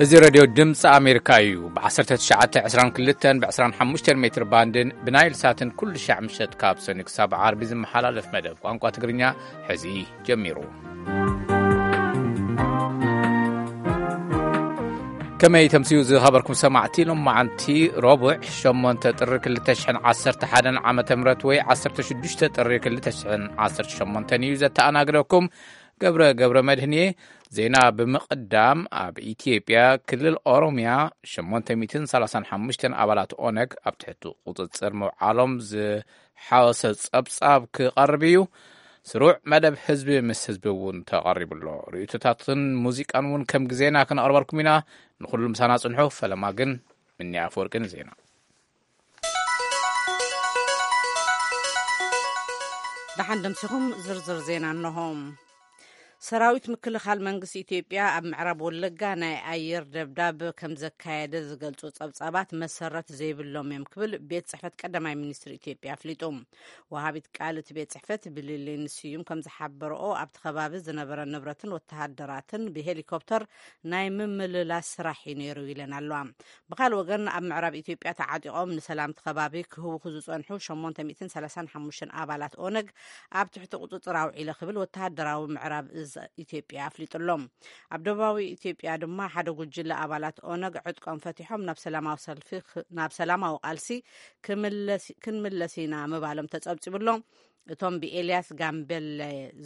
እዚ ሬድዮ ድምፂ ኣሜሪካ እዩ። ብ1922 ብ25 ሜትር ባንድን ብናይል ሳትን ኩሉ ሻዕ ምሸት ካብ ሰኒ ክሳብ ዓርቢ ዝመሓላለፍ መደብ ቋንቋ ትግርኛ ሕዚ ጀሚሩ። ከመይ ተምስዩ ዝኸበርኩም ሰማዕቲ? ሎም መዓንቲ ረቡዕ 8 ጥሪ 2011 ዓመተ ምህረት ወይ 16 ጥሪ 2018 እዩ። ዘተኣናግደኩም ገብረ ገብረ መድህን እየ። ዜና ብምቕዳም፣ ኣብ ኢትዮጵያ ክልል ኦሮሚያ 835 ኣባላት ኦነግ ኣብ ትሕቲ ቁፅፅር ምውዓሎም ዝሓወሰ ጸብጻብ ክቐርብ እዩ። ስሩዕ መደብ ህዝቢ ምስ ህዝቢ እውን ተቐሪቡ ኣሎ። ርእይቶታትን ሙዚቃን እውን ከም ግዜና ክነቕርበልኩም ኢና። ንኹሉ ምሳና ጽንሑ። ፈለማ ግን ምኒ ኣፈወርቂ ንዜና። ደሓን ደምሲኹም። ዝርዝር ዜና እንሆ። ሰራዊት ምክልኻል መንግስቲ ኢትዮጵያ ኣብ ምዕራብ ወለጋ ናይ ኣየር ደብዳብ ከም ዘካየደ ዝገልጹ ጸብጻባት መሰረት ዘይብሎም እዮም ክብል ቤት ጽሕፈት ቀዳማይ ሚኒስትር ኢትዮጵያ ኣፍሊጡ። ወሃቢት ቃል እቲ ቤት ጽሕፈት ብሊሌን ስዩም ከም ዝሓበረኦ፣ ኣብቲ ከባቢ ዝነበረ ንብረትን ወተሃደራትን ብሄሊኮፕተር ናይ ምምልላስ ስራሕ እዩ ነይሩ ኢለን ኣለዋ። ብኻልእ ወገን፣ ኣብ ምዕራብ ኢትዮጵያ ተዓጢቖም ንሰላም እቲ ከባቢ ክህውኹ ዝጸንሑ 835 ኣባላት ኦነግ ኣብ ትሕቲ ቁጽጽር ኣውዒለ ክብል ወተሃደራዊ ምዕራብ እዝ ኢትዮጵያ ኣፍሊጡ ኣሎ። ኣብ ደቡባዊ ኢትዮጵያ ድማ ሓደ ጉጅለ ኣባላት ኦነግ ዕጥቆም ፈቲሖም ናብ ሰላማዊ ሰልፊ ክ-፣ ናብ ሰላማዊ ቃልሲ ክምለስ-፣ ክንምለስ ኢና ምባሎም ተጸብጺቡ ኣሎ። እቶም ብኤልያስ ጋምቤለ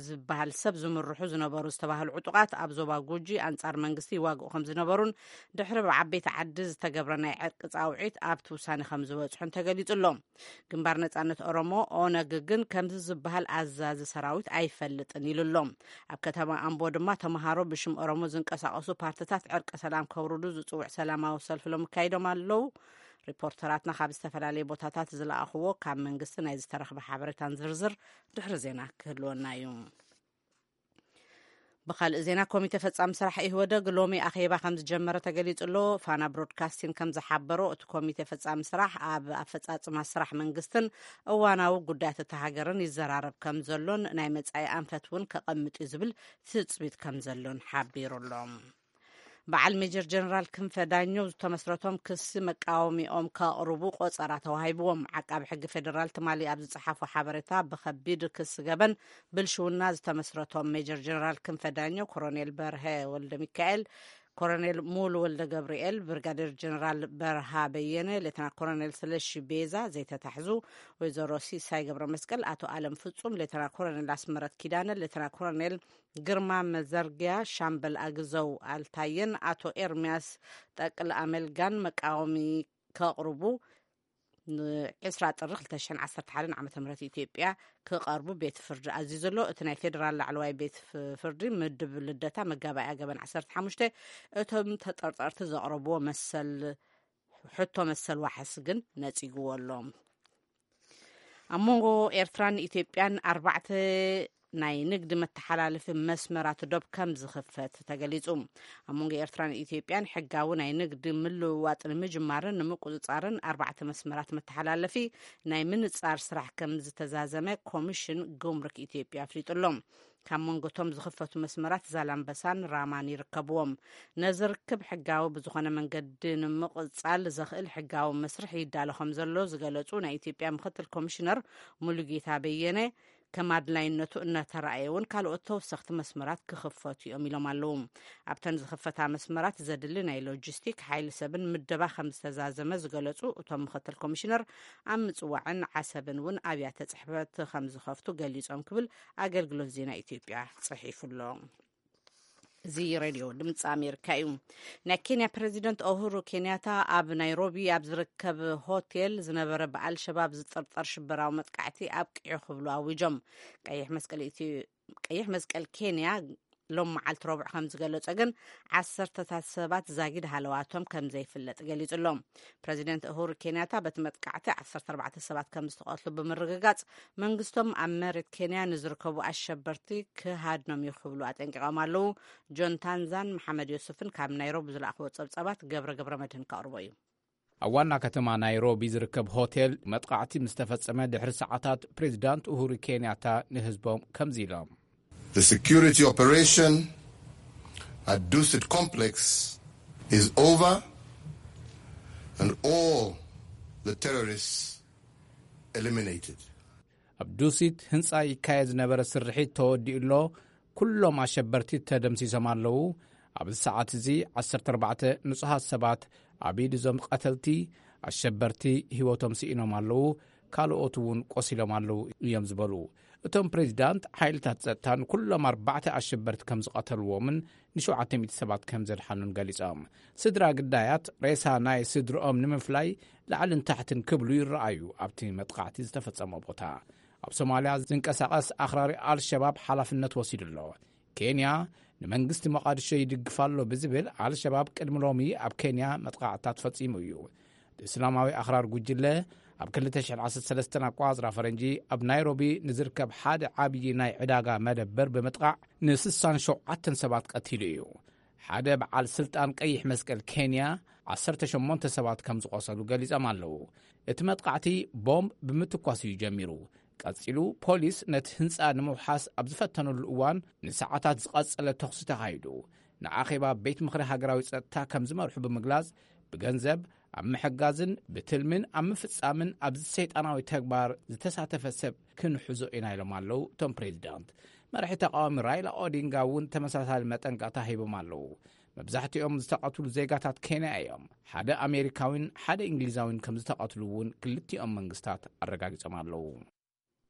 ዝበሃል ሰብ ዝምርሑ ዝነበሩ ዝተባህሉ ዕጡቓት ኣብ ዞባ ጉጂ ኣንጻር መንግስቲ ይዋግኡ ከም ዝነበሩን ድሕሪ ብዓበይቲ ዓዲ ዝተገብረ ናይ ዕርቂ ጻውዒት ኣብቲ ውሳኔ ከም ዝበጽሑን ተገሊጹ ኣሎ። ግንባር ነጻነት ኦሮሞ፣ ኦነግ፣ ግን ከምዚ ዝበሃል ኣዛዚ ሰራዊት ኣይፈልጥን ኢሉ ኣሎ። ኣብ ከተማ ኣምቦ ድማ ተምሃሮ ብሽም ኦሮሞ ዝንቀሳቐሱ ፓርትታት ዕርቂ ሰላም ከውርዱ ዝጽውዕ ሰላማዊ ሰልፊ ሎም ኣካይዶም ኣለዉ። ሪፖርተራትና ካብ ዝተፈላለዩ ቦታታት ዝለኣኽዎ ካብ መንግስቲ ናይ ዝተረኽበ ሓበሬታን ዝርዝር ድሕሪ ዜና ክህልወና እዩ። ብኻልእ ዜና፣ ኮሚቴ ፈጻሚ ስራሕ ኢህወደግ ሎሚ ኣኼባ ከም ዝጀመረ ተገሊጹ ኣሎ። ፋና ብሮድካስቲንግ ከም ዝሓበሮ፣ እቲ ኮሚቴ ፈጻሚ ስራሕ ኣብ ኣፈጻጽማ ስራሕ መንግስትን እዋናዊ ጉዳያት እታ ሃገርን ይዘራረብ ከም ዘሎን ናይ መጻኢ ኣንፈት እውን ከቐምጥ እዩ ዝብል ትጽቢት ከም ዘሎን ሓቢሩ ኣሎ። በዓል ሜጀር ጀነራል ክንፈ ዳኘው ዝተመስረቶም ክሲ መቃወሚኦም ከቕርቡ ቆጸራ ተዋሂብዎም። ዓቃቢ ሕጊ ፌደራል ትማሊ ኣብ ዝጸሓፎ ሓበሬታ፣ ብኸቢድ ክሲ ገበን ብልሽውና ዝተመስረቶም ሜጀር ጀነራል ክንፈ ዳኘው፣ ኮሎኔል በርሀ ወልደ ሚካኤል፣ ኮሎኔል ሙሉ ወልደ ገብርኤል፣ ብርጋዴር ጀነራል በርሃ በየነ፣ ሌተና ኮሎኔል ስለሺ ቤዛ ዘይተታሕዙ፣ ወይዘሮ ሲሳይ ገብረ መስቀል፣ ኣቶ ኣለም ፍጹም፣ ሌተና ኮሎኔል ኣስመረት ኪዳነ፣ ሌተና ኮሎኔል ግርማ መዘርጊያ፣ ሻምበል ኣግዘው ኣልታየን ኣቶ ኤርሚያስ ጠቅለ ኣመልጋን መቃወሚ ከቕርቡ ን20 ጥሪ 2011 ዓመተ ምህረት ኢትዮጵያ ክቐርቡ ቤት ፍርዲ ኣዚዙ ኣሎ። እቲ ናይ ፌዴራል ላዕለዋይ ቤት ፍ-፣ ፍርዲ ምድብ ልደታ መጋባእያ ገበን 15 እቶም ተጠርጠርቲ ዘቕረብዎ መሰል፣ ሕቶ መሰል ዋሕስ ግን ነጺግዎ ኣሎ። ኣብ መንጎ ኤርትራን ኢትዮጵያን ኣርባዕተ ናይ ንግዲ መተሓላለፊ መስመራት ዶብ ከም ዝኽፈት ተገሊጹ። ኣብ መንጎ ኤርትራን ኢትዮጵያን ሕጋዊ ናይ ንግዲ ምልውዋጥ ንምጅማርን ንምቁጽጻርን ኣርባዕተ መስመራት መተሓላለፊ ናይ ምንጻር ስራሕ ከም ዝተዛዘመ ኮሚሽን ጉምሩክ ኢትዮጵያ ኣፍሊጡ ኣሎ። ካብ መንጎ እቶም ዝኽፈቱ መስመራት ዛላምበሳን ራማን ይርከብዎም። ነዚ ርክብ ሕጋዊ ብዝኾነ መንገዲ ንምቕጻል ዘኽእል ሕጋዊ መስርሕ ይዳሎ ከም ዘሎ ዝገለጹ ናይ ኢትዮጵያ ምክትል ኮሚሽነር ሙሉጌታ በየነ፣ ከም ኣድላይነቱ እናተረኣየ እውን ካልኦት ተወሰኽቲ መስመራት ክኽፈቱ እዮም ኢሎም ኣለዉ። ኣብተን ዝኽፈታ መስመራት ዘድሊ ናይ ሎጂስቲክ ሓይሊ ሰብን ምደባ ከም ዝተዛዘመ ዝገለጹ እቶም ምክትል ኮሚሽነር፣ ኣብ ምጽዋዕን ዓሰብን እውን ኣብያተ ጽሕፈት ከም ዝኸፍቱ ገሊጾም ክብል ኣገልግሎት ዜና ኢትዮጵያ ጽሒፉ ኣሎ። እዚ ሬድዮ ድምፂ ኣሜሪካ እዩ። ናይ ኬንያ ፕሬዚደንት ኡሁሩ ኬንያታ ኣብ ናይሮቢ ኣብ ዝርከብ ሆቴል ዝነበረ ብኣልሸባብ ዝጥርጠር ሽበራዊ መጥቃዕቲ ኣብቂዑ ክብሉ ኣዊጆም። ቀይሕ መስቀል ኢትዮ-፣ ቀይሕ መስቀል ኬንያ ሎም መዓልቲ ረቡዕ ከም ዝገለጾ ግን፣ ዓሰርተታት ሰባት ዛጊድ ሃለዋቶም ከም ዘይፍለጥ ገሊጹ ኣሎ። ፕሬዚደንት ኡሁሩ ኬንያታ በቲ መጥቃዕቲ 14 ሰባት ከም ዝተቐትሉ ብምርግጋጽ፣ መንግስቶም ኣብ መሬት ኬንያ ንዝርከቡ ኣሸበርቲ ክሃድኖም እዩ ክብሉ ኣጠንቂቖም ኣለዉ። ጆን ታንዛን መሓመድ ዮሱፍን ካብ ናይሮቢ ዝለኣኽዎ ጸብጻባት ገብረ ገብረ መድህን ከቕርቦ እዩ። ኣብ ዋና ከተማ ናይሮቢ ዝርከብ ሆቴል መጥቃዕቲ ምስ ተፈጸመ ድሕሪ ሰዓታት፣ ፕሬዚዳንት ኡሁሩ ኬንያታ ንህዝቦም ከምዚ ኢሎም። The security operation at Dusit Complex is over and all the terrorists eliminated. ኣብ ዱሲት ህንጻ ይካየድ ዝነበረ ስርሒት ተወዲኡ ኣሎ። ኩሎም ኣሸበርቲ ተደምሲሶም ኣለዉ። ኣብዚ ሰዓት እዚ ዓሰርተ ኣርባዕተ ንጹሃት ሰባት ኣብ ኢድ እዞም ቀተልቲ ኣሸበርቲ ህይወቶም ስኢኖም ኣለዉ። ካልኦት እውን ቆሲሎም ኣለዉ እዮም ዝበሉ እቶም ፕሬዚዳንት። ሓይልታት ጸጥታ ንኩሎም ኣርባዕተ ኣሸበርቲ ከም ዝቐተልዎምን ንሸውዓተ ሚእቲ ሰባት ከም ዘድሓኑን ገሊጾም። ስድራ ግዳያት ሬሳ ናይ ስድርኦም ንምፍላይ ላዕልን ታሕትን ክብሉ ይረኣዩ ኣብቲ መጥቃዕቲ ዝተፈጸመ ቦታ። ኣብ ሶማልያ ዝንቀሳቐስ ኣኽራሪ ኣልሸባብ ሓላፍነት ወሲዱ ኣሎ። ኬንያ ንመንግስቲ ሞቓድሾ ይድግፍ ኣሎ ብዝብል ኣልሸባብ ቅድሚ ሎሚ ኣብ ኬንያ መጥቃዕታት ፈጺሙ እዩ። እቲ እስላማዊ ኣኽራር ጉጅለ ኣብ ክልተ ሽሕን ዓሰርተ ሰለስተን ኣቋጽራ ፈረንጂ ኣብ ናይሮቢ ንዝርከብ ሓደ ዓብዪ ናይ ዕዳጋ መደበር ብምጥቃዕ ንስሳን ሸውዓተን ሰባት ቀቲሉ እዩ። ሓደ በዓል ስልጣን ቀይሕ መስቀል ኬንያ ዓሰርተ ሸሞንተ ሰባት ከም ዝቆሰሉ ገሊጾም ኣለዉ። እቲ መጥቃዕቲ ቦምብ ብምትኳስ እዩ ጀሚሩ። ቀጺሉ ፖሊስ ነቲ ህንጻ ንምውሓስ ኣብ ዝፈተነሉ እዋን ንሰዓታት ዝቐጸለ ተኹሲ ተኻይዱ። ንኣኼባ ቤት ምኽሪ ሃገራዊ ጸጥታ ከም ዝመርሑ ብምግላጽ ብገንዘብ ኣብ ምሕጋዝን ብትልምን ኣብ ምፍጻምን ኣብዚ ሰይጣናዊ ተግባር ዝተሳተፈ ሰብ ክንሕዞ ኢና ኢሎም ኣለዉ እቶም ፕሬዚዳንት። መራሒ ተቃዋሚ ራይላ ኦዲንጋ እውን ተመሳሳሊ መጠንቀቕታ ሂቦም ኣለዉ። መብዛሕትኦም ዝተቐትሉ ዜጋታት ኬንያ እዮም። ሓደ ኣሜሪካዊን ሓደ እንግሊዛዊን ከም ዝተቐትሉ እውን ክልቲኦም መንግስታት ኣረጋጊጾም ኣለዉ።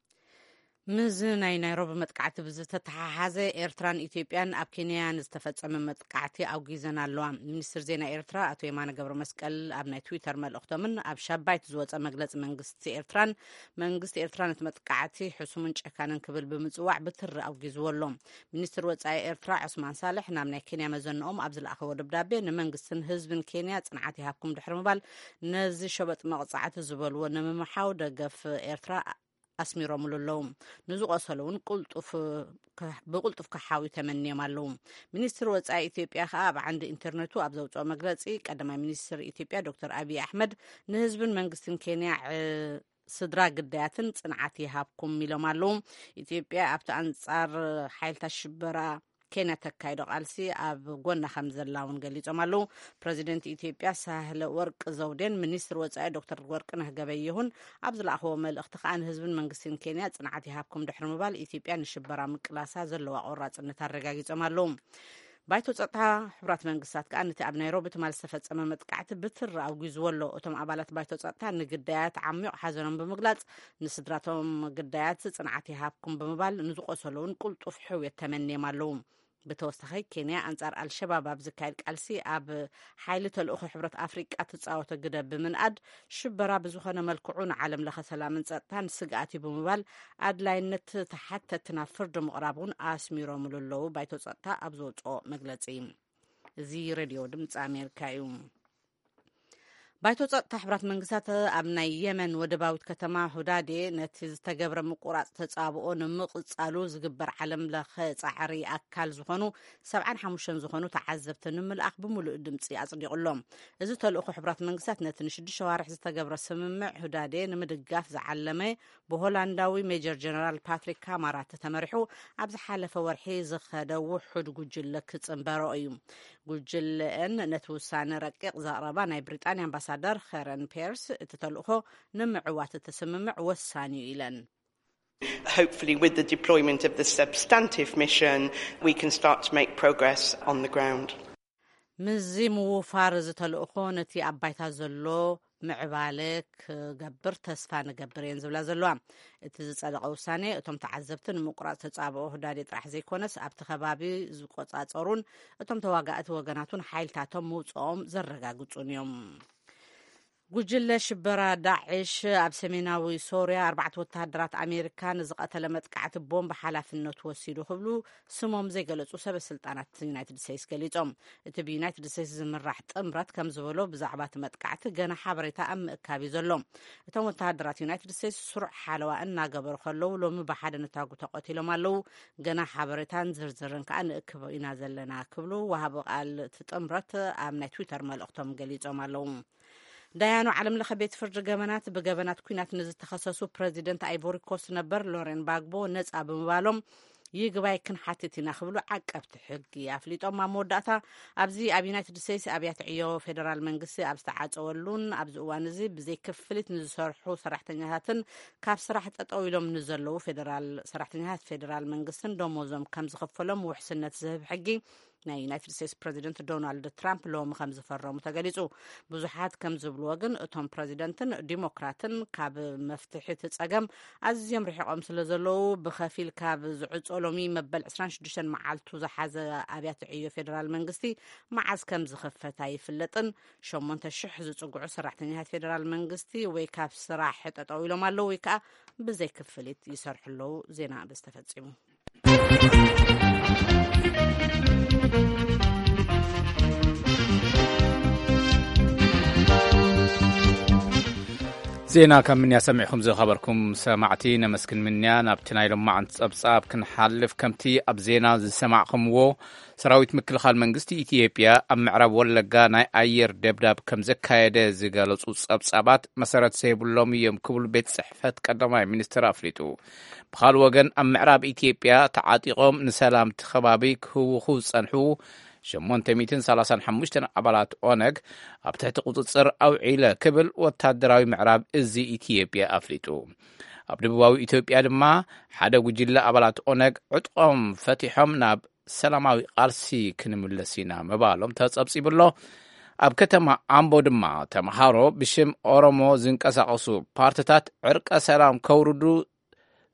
ምስዚ ናይ ናይሮቢ መጥቃዕቲ ብዝተተሓሓዘ ኤርትራን ኢትዮጵያን ኣብ ኬንያ ንዝተፈጸመ መጥቃዕቲ ኣውጊዘን ኣለዋ። ሚኒስትር ዜና ኤርትራ ኣቶ የማነ ገብረ መስቀል ኣብ ናይ ትዊተር መልእኽቶምን ኣብ ሻባይት ዝወጸ መግለጺ መንግስቲ ኤርትራን መንግስቲ ኤርትራ ነቲ መጥቃዕቲ ሕሱምን ጨካንን ክብል ብምጽዋዕ ብትሪ ኣውጊዝዎ ኣሎ። ሚኒስትር ወጻኢ ኤርትራ ዑስማን ሳልሕ ናብ ናይ ኬንያ መዘንኦም ኣብ ዝለኣኸዎ ደብዳቤ ንመንግስትን ህዝብን ኬንያ ጽንዓት ይሃብኩም ድሕሪ ምባል ነዚ ሸበጥ መቕጻዕቲ ዝበልዎ ንምምሓው ደገፍ ኤርትራ ኣስሚሮምሉ ኣለዉ። ንዝቆሰሉ እውን ቅልጡፍ ከ- ብቅልጡፍ ክሓዊ ተመንዮም ኣለዉ። ሚኒስትር ወጻኢ ኢትዮጵያ ከኣ ኣብ ዓንዲ ኢንተርነቱ ኣብ ዘውፅኦ መግለፂ ቀዳማይ ሚኒስትር ኢትዮጵያ ዶክተር ኣብይ ኣሕመድ ንህዝብን መንግስትን ኬንያ ዕ- ስድራ ግዳያትን ጽንዓት ይሃብኩም ኢሎም ኣለዉ። ኢትዮጵያ ኣብቲ ኣንጻር ሓይልታት ሽበራ ኬንያ ተካይዶ ቃልሲ ኣብ ጎና ከም ዘላ እውን ገሊጾም ኣለዉ። ፕረዚደንት ኢትዮጵያ ሳህለ ወርቅ ዘውዴን ሚኒስትር ወጻኢ ዶክተር ወርቅነህ ገበየሁን ኣብ ዝለኣኽዎ መልእኽቲ ከኣ ንህዝብን መንግስትን ኬንያ ጽንዓት ይሃብኩም ድሕሪ ምባል ኢትዮጵያ ንሽበራ ምቅላሳ ዘለዋ ቆራጽነት ኣረጋጊጾም ኣለዉ። ባይቶ ጸጥታ ሕቡራት መንግስታት ከኣ ነቲ ኣብ ናይሮቢ ትማል ዝተፈጸመ መጥቃዕቲ ብትሪ ኣውጊዝዎ ኣሎ። እቶም ኣባላት ባይቶ ጸጥታ ንግዳያት ዓሚቕ ሓዘኖም ብምግላጽ ንስድራቶም ግዳያት ጽንዓት ይሃብኩም ብምባል ንዝቆሰሉ እውን ቅልጡፍ ሕውየት ተመንዮም ኣለዉ። ብተወሳኺ ኬንያ ኣንጻር ኣልሸባብ ኣብ ዝካየድ ቃልሲ ኣብ ሓይሊ ተልእኾ ሕብረት ኣፍሪቃ ትጻወቶ ግደ ብምንኣድ ሽበራ ብዝኾነ መልክዑ ንዓለም ለኸ ሰላምን ጸጥታን ስግኣት እዩ ብምባል ኣድላይነት ተሓተቲ ናብ ፍርዲ ምቕራብ እውን ኣስሚሮምሉ ኣለዉ። ባይቶ ጸጥታ ኣብ ዘውፅኦ መግለፂ እዚ ሬድዮ ድምፂ ኣሜሪካ እዩ። ባይቶ ጸጥታ ሕብራት መንግስታት ኣብ ናይ የመን ወደባዊት ከተማ ሁዳዴ ነቲ ዝተገብረ ምቁራጽ ተጻብኦ ንምቕጻሉ ዝግበር ዓለም ለኸ ጻዕሪ ኣካል ዝኾኑ ሰብዓን ሓሙሽተን ዝኾኑ ተዓዘብቲ ንምልኣኽ ብምሉእ ድምጺ ኣጽዲቑሎም። እዚ ተልእኾ ሕብራት መንግስታት ነቲ ንሽዱሽተ ዋርሕ ዝተገብረ ስምምዕ ሁዳዴ ንምድጋፍ ዝዓለመ ብሆላንዳዊ ሜጀር ጀነራል ፓትሪክ ካማራት ተመሪሑ ኣብ ዝሓለፈ ወርሒ ዝኸደ ውሑድ ጉጅለ ክጽንበሮ እዩ። ጉጅለአን ነቲ ውሳነ ረቂቕ ዘቕረባ ናይ ብሪጣንያ ኣምባሳደር ኸረን ፔርስ እቲ ተልእኾ ንምዕዋት እቲ ስምምዕ ወሳኒ እዩ ኢለን። Hopefully, with the deployment of the substantive mission, we can start to make progress on the ground. ምስዚ ምውፋር እዚ ተልእኾ ነቲ ኣብ ባይታ ዘሎ ምዕባለ ክገብር ተስፋ ንገብር እየን ዝብላ ዘለዋ። እቲ ዝጸደቐ ውሳኔ እቶም ተዓዘብቲ ንምቁራጽ ተጻብኦ ህዳዴ ጥራሕ ዘይኮነስ ኣብቲ ከባቢ ዝቆጻጸሩን እቶም ተዋጋእቲ ወገናት እውን ሓይልታቶም ምውጽኦም ዘረጋግጹን እዮም። ጉጅለ ሽበራ ዳዕሽ ኣብ ሰሜናዊ ሶርያ ኣርባዕተ ወተሃደራት ኣሜሪካ ንዝቐተለ መጥቃዕቲ ቦምብ ሓላፍነቱ ወሲዱ ክብሉ ስሞም ዘይገለጹ ሰበ ስልጣናት ዩናይትድ ስቴትስ ገሊጾም። እቲ ብዩናይትድ ስቴትስ ዝምራሕ ጥምረት ከም ዝበሎ ብዛዕባ እቲ መጥቃዕቲ ገና ሓበሬታ ኣብ ምእካብ እዩ ዘሎ። እቶም ወተሃደራት ዩናይትድ ስቴትስ ስሩዕ ሓለዋ እናገበሩ ከለዉ ሎሚ ብሓደ ነታጉ ተቐቲሎም ኣለዉ። ገና ሓበሬታን ዝርዝርን ከዓ ንእክብ ኢና ዘለና ክብሉ ወሃቢ ቃል እቲ ጥምረት ኣብ ናይ ትዊተር መልእኽቶም ገሊጾም ኣለዉ። ዳያኑ ዓለም ለኸ ቤት ፍርዲ ገበናት ብገበናት ኩናት ንዝተኸሰሱ ፕረዚደንት ኣይቮሪ ኮስት ነበር ሎሬን ባግቦ ነጻ ብምባሎም ይግባይ ክንሓትት ኢና ክብሉ ዓቀብቲ ሕጊ ኣፍሊጦም። ኣብ መወዳእታ፣ ኣብዚ ኣብ ዩናይትድ ስቴትስ ኣብያተ ዕዮ ፌደራል መንግስቲ ኣብ ዝተዓጸወሉን ኣብዚ እዋን እዚ ብዘይ ክፍሊት ንዝሰርሑ ሰራሕተኛታትን ካብ ስራሕ ጠጠው ኢሎም ንዘለዉ ፌደራል ሰራሕተኛታት ፌደራል መንግስትን ደሞዞም ከም ዝኽፈሎም ውሕስነት ዝህብ ሕጊ ናይ ዩናይትድ ስቴትስ ፕረዚደንት ዶናልድ ትራምፕ ሎሚ ከም ዝፈረሙ ተገሊጹ። ብዙሓት ከም ዝብልዎ ግን፣ እቶም ፕረዚደንትን ዲሞክራትን ካብ መፍትሒ እቲ ጸገም ኣዝዮም ርሒቖም ስለ ዘለዉ፣ ብኸፊል ካብ ዝዕጾ ሎሚ መበል ዕስራን ሽዱሽተን መዓልቱ ዝሓዘ ኣብያተ ዕዮ ፌደራል መንግስቲ መዓዝ ከም ዝኽፈት ኣይፍለጥን። ሸሞንተ ሽሕ ዝጽግዑ ሰራሕተኛታት ፌደራል መንግስቲ ወይ ካብ ስራሕ ጠጠው ኢሎም ኣለዉ ወይ ከዓ ብዘይ ክፍሊት ይሰርሑ ኣለዉ። ዜና በዚ ተፈጺሙ። ዜና ካብ ምንያ ሰሚዕኩም ዝኸበርኩም ሰማዕቲ ነመስግን ምንያ። ናብቲ ናይ ሎማዓንቲ ጸብጻብ ክንሓልፍ፣ ከምቲ ኣብ ዜና ዝሰማዕኩምዎ፣ ሰራዊት ምክልኻል መንግስቲ ኢትዮጵያ ኣብ ምዕራብ ወለጋ ናይ ኣየር ደብዳብ ከም ዘካየደ ዝገለጹ ጸብጻባት መሰረት ዘይብሎም እዮም ክብሉ ቤት ጽሕፈት ቀዳማይ ሚኒስትር ኣፍሊጡ። ብኻልእ ወገን፣ ኣብ ምዕራብ ኢትዮጵያ ተዓጢቖም ንሰላም እቲ ከባቢ ክህውኹ ዝጸንሑ ሸሞንተ ሚእትን ሰላሳን ሓሙሽተን ኣባላት ኦነግ ኣብ ትሕቲ ቁጽጽር ኣውዒለ ክብል ወታደራዊ ምዕራብ እዚ ኢትዮጵያ ኣፍሊጡ። ኣብ ደቡባዊ ኢትዮጵያ ድማ ሓደ ጉጅለ ኣባላት ኦነግ ዕጥቆም ፈቲሖም ናብ ሰላማዊ ቃልሲ ክንምለስ ኢና ምባሎም ተጸብጺቡ ኣሎ። ኣብ ከተማ ኣምቦ ድማ ተምሃሮ ብሽም ኦሮሞ ዝንቀሳቐሱ ፓርትታት ዕርቀ ሰላም ከውርዱ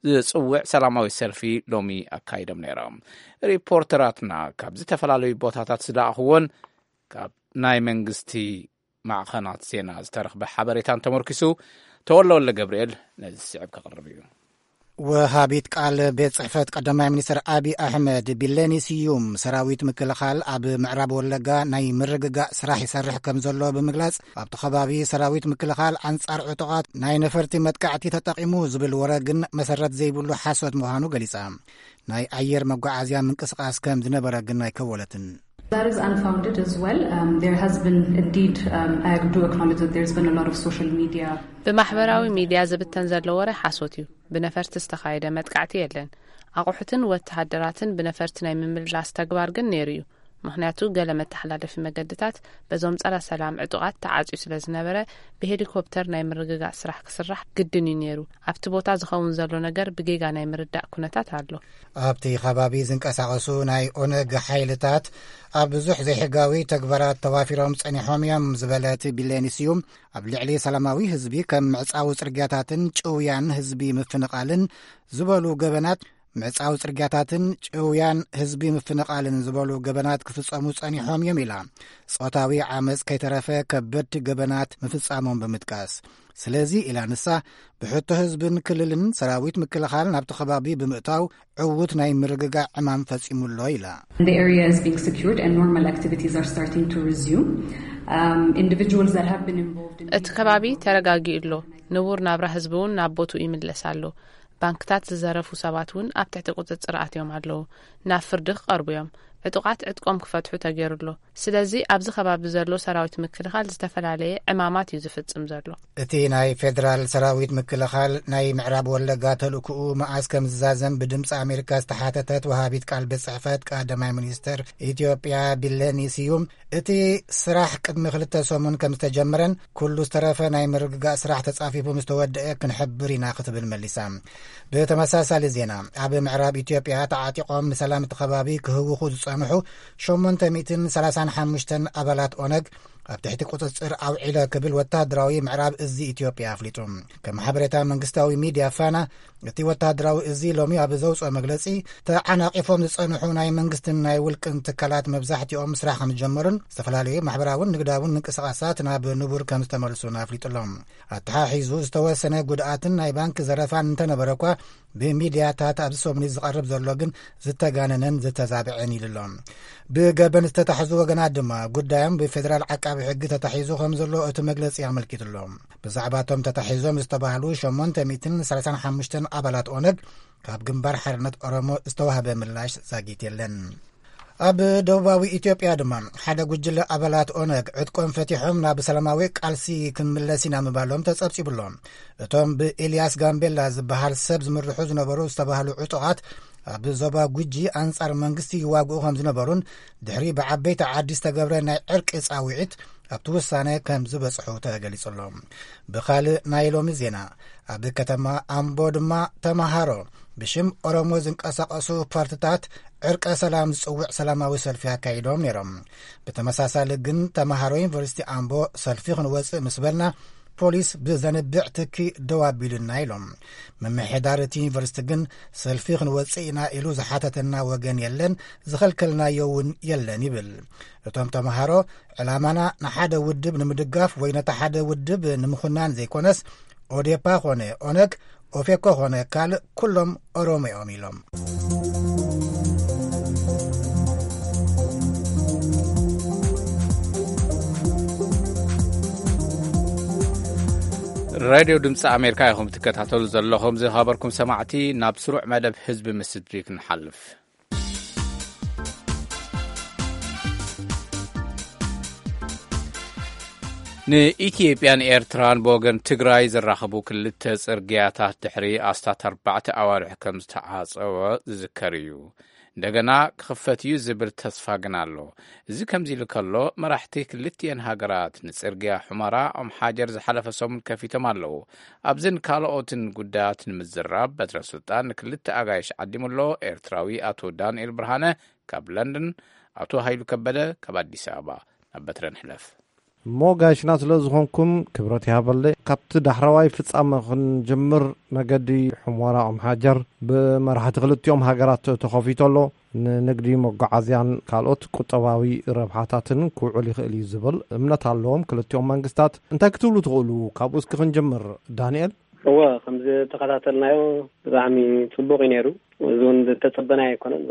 ዝጽውዕ ሰላማዊ ሰልፊ ሎሚ ኣካይዶም ነይሮም። ሪፖርተራትና ካብ ዝተፈላለዩ ቦታታት ዝለኣኽዎን ካብ ናይ መንግስቲ ማዕኸናት ዜና ዝተረኽበ ሓበሬታን ተመርኪሱ፣ ተወለ ወልደ ገብርኤል ነዚ ዝስዕብ ከቕርብ እዩ። ወሃቢት ቃል ቤት ጽሕፈት ቀዳማይ ሚኒስትር ኣቢ ኣሕመድ፣ ቢለኒ ስዩም፣ ሰራዊት ምክልኻል ኣብ ምዕራብ ወለጋ ናይ ምርግጋእ ስራሕ ይሰርሕ ከም ዘሎ ብምግላጽ፣ ኣብቲ ከባቢ ሰራዊት ምክልኻል ኣንጻር ዕጡቓት ናይ ነፈርቲ መጥቃዕቲ ተጠቒሙ ዝብል ወረ ግን መሰረት ዘይብሉ ሓሶት ምዃኑ ገሊጻ። ናይ ኣየር መጓዓዝያ ምንቅስቓስ ከም ዝነበረ ግን ኣይከወለትን። That is unfounded as well. Um, there has been indeed, um, I do acknowledge that there's been a lot of social media. ብማሕበራዊ ሚድያ ዝብተን ዘሎ ወረ ሓሶት እዩ። ብነፈርቲ ዝተኻየደ መጥቃዕቲ የለን። ኣቑሑትን ወተሃደራትን ብነፈርቲ ናይ ምምልላስ ተግባር ግን ነይሩ እዩ። ምኽንያቱ፣ ገለ መተሓላለፊ መገድታት በዞም ጸረ ሰላም ዕጡቓት ተዓጽዩ ስለ ዝነበረ፣ ብሄሊኮፕተር ናይ ምርግጋእ ስራሕ ክስራሕ ግድን እዩ ነይሩ። ኣብቲ ቦታ ዝኸውን ዘሎ ነገር ብጌጋ ናይ ምርዳእ ኩነታት ኣሎ። ኣብቲ ከባቢ ዝንቀሳቐሱ ናይ ኦነግ ሓይልታት ኣብ ብዙሕ ዘይሕጋዊ ተግባራት ተዋፊሮም ጸኒሖም እዮም ዝበለት ቢሌኒ ስዩም፣ ኣብ ልዕሊ ሰላማዊ ህዝቢ ከም ምዕጻዊ ጽርግያታትን ጭውያን ህዝቢ ምፍንቓልን ዝበሉ ገበናት፣ ምዕጻዊ ጽርግያታትን ጭውያን ህዝቢ ምፍንቓልን ዝበሉ ገበናት ክፍጸሙ ጸኒሖም እዮም ኢላ። ጾታዊ ዓመጽ ከይተረፈ ከበድቲ ገበናት ምፍጻሞም ብምጥቃስ፣ ስለዚ ኢላ ንሳ፣ ብሕቶ ህዝብን ክልልን ሰራዊት ምክልኻል ናብቲ ከባቢ ብምእታው ዕዉት ናይ ምርግጋእ ዕማም ፈጺሙ ኣሎ ኢላ። The area is being secured and normal activities are starting to resume. Um, individuals that have been involved in እቲ ከባቢ ተረጋጊኡ ኣሎ። ንቡር ናብራ ህዝቢ እውን ናብ ቦትኡ ይምለስ ኣሎ። ባንክታት ዝዘረፉ ሰባት እውን ኣብ ትሕቲ ቁጽጽር ኣትዮም ኣለዉ። ናብ ፍርዲ ክቐርቡ እዮም። ዕጡቓት ዕጥቆም ክፈትሑ ተገይሩ ኣሎ። ስለዚ ኣብዚ ከባቢ ዘሎ ሰራዊት ምክልኻል ዝተፈላለየ ዕማማት እዩ ዝፍጽም ዘሎ። እቲ ናይ ፌደራል ሰራዊት ምክልኻል ናይ ምዕራብ ወለጋ ተልእኮኡ መኣስ ከም ዝዛዘም ብድምፂ ኣሜሪካ ዝተሓተተት ወሃቢት ቃል ቤት ጽሕፈት ቀዳማይ ሚኒስትር ኢትዮጵያ ቢለኒ ስዩም፣ እቲ ስራሕ ቅድሚ ክልተ ሰሙን ከም ዝተጀመረን ኩሉ ዝተረፈ ናይ ምርግጋእ ስራሕ ተጻፊፉ ምስ ተወደአ ክንሕብር ኢና ክትብል መሊሳ። ብተመሳሳሊ ዜና፣ ኣብ ምዕራብ ኢትዮጵያ ተዓጢቖም ንሰላም እቲ ከባቢ ክህውኹ ዝጸንሑ ሸሞንተ ሚእትን ሰላሳን ሓሙሽተን ኣባላት ኦነግ ኣብ ትሕቲ ቁጽጽር ኣውዒለ ክብል ወታደራዊ ምዕራብ እዚ ኢትዮጵያ ኣፍሊጡ። ከም ሓበሬታ መንግስታዊ ሚድያ ፋና፣ እቲ ወታደራዊ እዚ ሎሚ ኣብ ዘውፅኦ መግለጺ፣ ተዓናቒፎም ዝጸንሑ ናይ መንግስትን ናይ ውልቅን ትካላት መብዛሕትኦም ስራሕ ከም ዝጀመሩን ዝተፈላለዩ ማሕበራውን ንግዳውን ምንቅስቓሳት ናብ ንቡር ከም ዝተመልሱን ኣፍሊጡ ኣሎ። ኣተሓሒዙ ዝተወሰነ ጉድኣትን ናይ ባንክ ዘረፋን እንተነበረ እኳ፣ ብሚድያታት ኣብዚ ሰሙን ዝቐርብ ዘሎ ግን ዝተጋነነን ዝተዛብዐን ኢሉ ኣሎ። ብገበን ዝተታሕዙ ወገናት ድማ ጉዳዮም ብፌደራል ዓቃቢ ሕጊ ተታሒዙ ከም ዘሎ እቲ መግለጺ ኣመልኪቱ ኣሎ። ብዛዕባ እቶም ተታሒዞም ዝተባህሉ ሸሞንተ ሚእትን ሰላሳን ሓሙሽተን ኣባላት ኦነግ ካብ ግንባር ሓርነት ኦሮሞ ዝተዋህበ ምላሽ ዛጊት የለን። ኣብ ደቡባዊ ኢትዮጵያ ድማ ሓደ ጉጅለ ኣባላት ኦነግ ዕጥቆም ፈቲሖም ናብ ሰላማዊ ቃልሲ ክንምለስ ኢና ምባሎም ተጸብጺቡ ኣሎ። እቶም ብኤልያስ ጋምቤላ ዝበሃል ሰብ ዝምርሑ ዝነበሩ ዝተባህሉ ዕጡቓት ኣብ ዞባ ጉጂ ኣንጻር መንግስቲ ይዋግኡ ከም ዝነበሩን ድሕሪ ብዓበይቲ ዓዲ ዝተገብረ ናይ ዕርቂ ጻውዒት ኣብቲ ውሳነ ከም ዝበጽሑ ተገሊጹ ኣሎ። ብኻልእ ናይ ሎሚ ዜና፣ ኣብ ከተማ ኣምቦ ድማ ተመሃሮ ብሽም ኦሮሞ ዝንቀሳቐሱ ፓርትታት ዕርቀ ሰላም ዝጽውዕ ሰላማዊ ሰልፊ ኣካይዶም ነይሮም። ብተመሳሳሊ ግን ተመሃሮ ዩኒቨርሲቲ ኣምቦ ሰልፊ ክንወጽእ ምስ በልና ፖሊስ ብዘንብዕ ትኪ ደው ኣቢሉና ኢሎም። ምምሕዳር እቲ ዩኒቨርሲቲ ግን ሰልፊ ክንወጽእ ኢና ኢሉ ዝሓተተና ወገን የለን፣ ዝኸልከልናዮ እውን የለን ይብል። እቶም ተመሃሮ ዕላማና ንሓደ ውድብ ንምድጋፍ ወይ ነቲ ሓደ ውድብ ንምኹናን ዘይኮነስ ኦዴፓ ኾነ ኦነግ፣ ኦፌኮ ኾነ ካልእ ኩሎም ኦሮሞ እዮም ኢሎም። ራድዮ ድምፂ ኣሜሪካ ኢኹም ትከታተሉ ዘለኹም። ዝኸበርኩም ሰማዕቲ፣ ናብ ስሩዕ መደብ ህዝቢ ምስ ህዝቢ ክንሓልፍ። ንኢትዮጵያን ኤርትራን ብወገን ትግራይ ዘራኽቡ ክልተ ጽርግያታት ድሕሪ ኣስታት ኣርባዕተ ኣዋርሕ ከም ዝተዓጸወ ዝዝከር እዩ። እንደገና ክኽፈት እዩ ዝብል ተስፋ ግን ኣሎ። እዚ ከምዚ ኢሉ ከሎ፣ መራሕቲ ክልቲኤን ሃገራት ንጽርግያ ሑመራ ኦም ሓጀር ዝሓለፈ ሰሙን ከፊቶም ኣለዉ። ኣብዝን ካልኦትን ጉዳያት ንምዝራብ በትረ ስልጣን ንክልተ ኣጋይሽ ዓዲሙ ኣሎ። ኤርትራዊ ኣቶ ዳንኤል ብርሃነ ካብ ለንደን፣ ኣቶ ሃይሉ ከበደ ካብ ኣዲስ ኣበባ። ናብ በትረ ንሕለፍ። እሞ ጋይሽና ስለ ዝኾንኩም ክብረት ይሃበለይ። ካብቲ ዳሕረዋይ ፍጻመ ክንጅምር፣ መገዲ ሑመራ ኦም ሓጀር ብመራሕቲ ክልቲኦም ሃገራት ተኸፊቱ ኣሎ። ንንግዲ መጓዓዝያን ካልኦት ቁጠባዊ ረብሓታትን ክውዕል ይኽእል እዩ ዝብል እምነት ኣለዎም ክልቲኦም መንግስታት። እንታይ ክትብሉ ትኽእሉ? ካብኡ እስኪ ክንጅምር ዳንኤል። እወ፣ ከም ዝተኸታተልናዮ ብጣዕሚ ጽቡቕ እዩ ነይሩ። እዚ እውን ዝተጸበናዮ ኣይኮነን።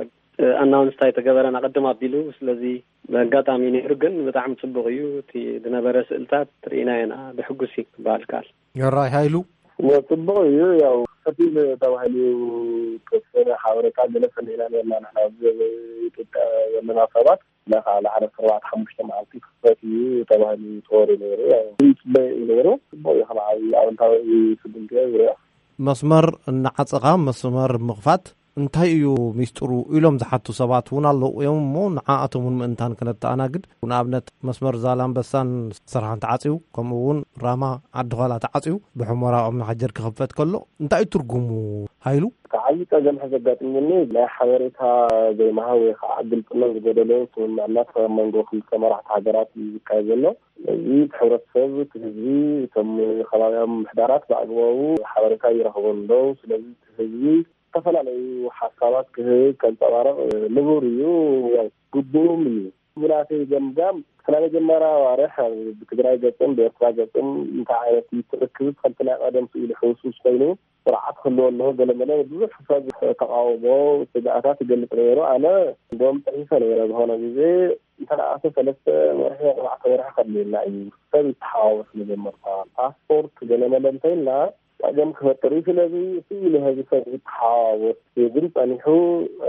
ኣናውንስ እንታይ ተገበረን ኣቐድም ኣቢሉ፣ ስለዚ ብኣጋጣሚ ነይሩ፣ ግን ብጣዕሚ ጽቡቕ እዩ። እቲ ዝነበረ ስእልታት ርኢናዮ ኢና፣ ብሕጉስ እዩ ክበሃል ይከኣል። የራይ ሃይሉ። እወ፣ ጽቡቕ እዩ። ያው፣ ከፊል ተባሂሉ ዝተወሰነ ሓበሬታ ገለ ሰሚዕና ነርና ንሕና፣ ኣብዚ ኢትዮጵያ ዘለና ሰባት። ለኻ ለዓለ ኣርባዕተ ሓሙሽተ መዓልቲ ክፈት እዩ ተባሂሉ ተወሪ ነይሩ። ያው፣ ይጽበ እዩ ነይሩ። ጽቡቕ እዩ፣ ከም ዓብዪ ኣወንታዊ ስጉምቲ እየ ዝሪኦ። መስመር እናዓጸኻ መስመር ምኽፋት እንታይ እዩ ሚስጥሩ ኢሎም ዝሓቱ ሰባት እውን ኣለዉ እዮም እሞ፣ ንዓኣቶም እውን ምእንታን ክነተኣናግድ። ንኣብነት፣ መስመር ዛላምበሳን ስርሓን ተዓጽዩ፣ ከምኡ እውን ራማ ዓዲ ዃላ ተዓጽዩ፣ ብሑመራ ኦም ሓጀር ክኽፈት ከሎ እንታይ እዩ ትርጉሙ? ሃይሉ? እቲ ዓብዪ ጸገም ሕዚ ኣጋጢሙኒ፣ ናይ ሓበሬታ ዘይምሃብ ወይ ከዓ ግልጽነት ዝጎደሎ ስምምዕነት ኣብ መንጎ ክልተ መራሕቲ ሃገራት እዩ ዝካየድ ዘሎ። ስለዚ እቲ ሕብረተሰብ፣ እቲ ህዝቢ፣ እቶም ከባብያዊ ምምሕዳራት ብኣግባቡ ሓበሬታ ይረኽቡ ኣለዉ። ስለዚ እቲ ህዝቢ ዝተፈላለዩ ሓሳባት ክህብ፣ ከንጸባርቕ ንቡር እዩ፣ ያው ግቡእም እዩ። ብናተይ ገምጋም፣ እቲ ናይ መጀመርያ ኣዋርሕ ኣብ ብትግራይ ገጽን ብኤርትራ ገጽን እንታይ ዓይነት እዩ እቲ ርክብ፣ ከምቲ ናይ ቀደም ስኢሉ ሕውስውስ ኮይኑ ስርዓት ክህልዎ ኣለዎ፣ ገለመለ ብዙሕ ሰብ ተቃውሞ፣ ስግኣታት ይገልጽ ነይሩ። ኣነ እንደውም ጽሒፈ ነይረ፣ ዝኾነ ግዜ እንተ ደኣ ሰለስተ ወርሒ፣ ኣርባዕተ ወርሒ ከድልየና እዩ፣ ሰብ ይተሓዋወስ መጀመርታ፣ ፓስፖርት ገለመለ እንተኢልና ጸገም ክፈጥር እዩ። ስለዚ ስኢሉ ህዝቢ ሰብ ይተሓዋወስ፣ ግን ጸኒሑ